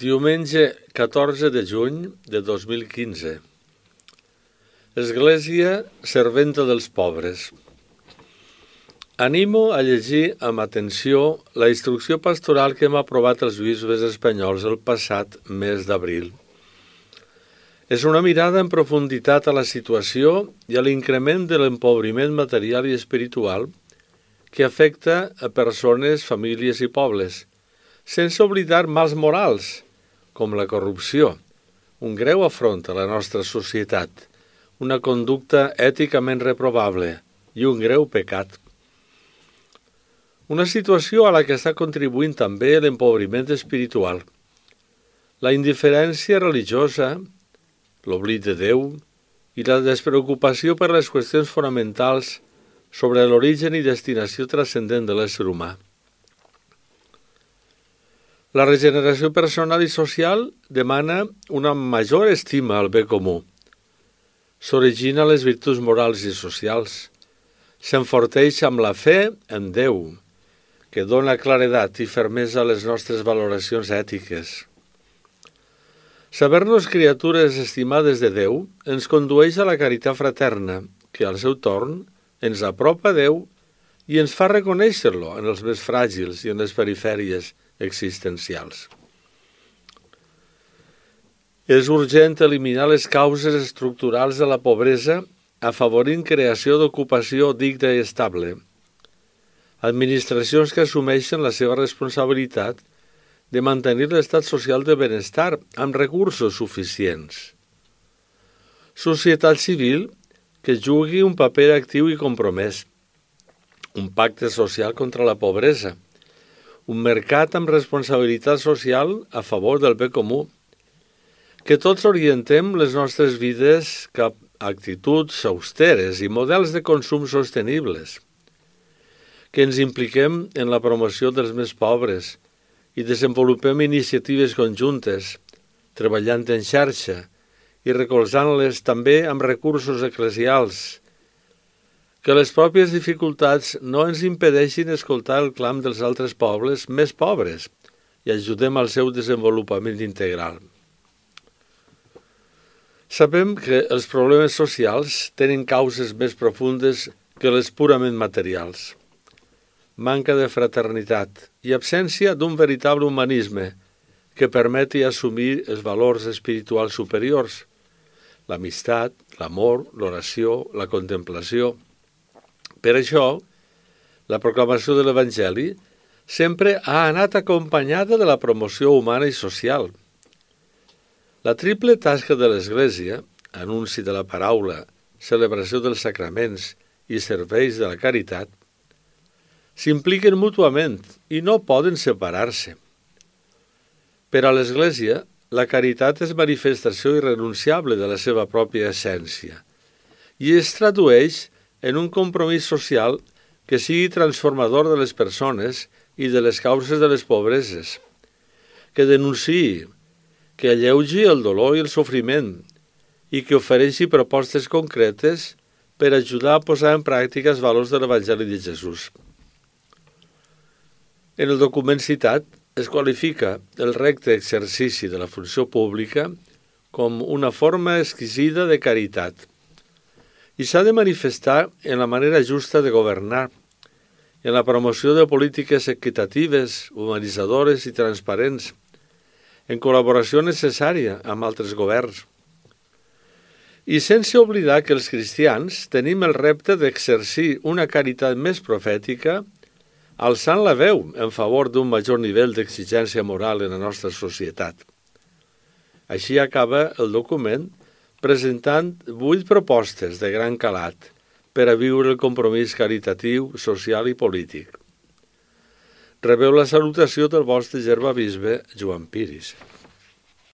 Diumenge 14 de juny de 2015. Església serventa dels pobres. Animo a llegir amb atenció la instrucció pastoral que hem aprovat els bisbes espanyols el passat mes d'abril. És una mirada en profunditat a la situació i a l'increment de l'empobriment material i espiritual que afecta a persones, famílies i pobles, sense oblidar mals morals, com la corrupció, un greu afront a la nostra societat, una conducta èticament reprovable i un greu pecat. Una situació a la que està contribuint també l'empobriment espiritual, la indiferència religiosa, l'oblit de Déu i la despreocupació per les qüestions fonamentals sobre l'origen i destinació transcendent de l'ésser humà. La regeneració personal i social demana una major estima al bé comú. S'origina les virtuts morals i socials. S'enforteix amb la fe en Déu, que dona claredat i fermesa a les nostres valoracions ètiques. Saber-nos criatures estimades de Déu ens condueix a la caritat fraterna, que al seu torn ens apropa a Déu i ens fa reconèixer-lo en els més fràgils i en les perifèries existencials. És urgent eliminar les causes estructurals de la pobresa afavorint creació d'ocupació digna i estable. Administracions que assumeixen la seva responsabilitat de mantenir l'estat social de benestar amb recursos suficients. Societat civil que jugui un paper actiu i compromès. Un pacte social contra la pobresa. Un mercat amb responsabilitat social a favor del bé comú. Que tots orientem les nostres vides cap a actituds austeres i models de consum sostenibles. Que ens impliquem en la promoció dels més pobres i desenvolupem iniciatives conjuntes, treballant en xarxa i recolzant-les també amb recursos eclesials. Que les pròpies dificultats no ens impedeixin escoltar el clam dels altres pobles més pobres i ajudem al seu desenvolupament integral. Sabem que els problemes socials tenen causes més profundes que les purament materials. Manca de fraternitat i absència d'un veritable humanisme que permeti assumir els valors espirituals superiors, l'amistat, l'amor, l'oració, la contemplació. Per això, la proclamació de l'Evangeli sempre ha anat acompanyada de la promoció humana i social. La triple tasca de l'Església, anunci de la paraula, celebració dels sacraments i serveis de la caritat, s'impliquen mútuament i no poden separar-se. Per a l'Església, la caritat és manifestació irrenunciable de la seva pròpia essència i es tradueix en un compromís social que sigui transformador de les persones i de les causes de les pobreses, que denunciï, que alleugi el dolor i el sofriment i que ofereixi propostes concretes per ajudar a posar en pràctica els valors de l'Evangeli de Jesús. En el document citat es qualifica el recte exercici de la funció pública com una forma exquisida de caritat, i s'ha de manifestar en la manera justa de governar, en la promoció de polítiques equitatives, humanitzadores i transparents, en col·laboració necessària amb altres governs. I sense oblidar que els cristians tenim el repte d'exercir una caritat més profètica, alçant la veu en favor d'un major nivell d'exigència moral en la nostra societat. Així acaba el document presentant 8 propostes de gran calat per a viure el compromís caritatiu, social i polític. Rebeu la salutació del vostre germà bisbe Joan Piris.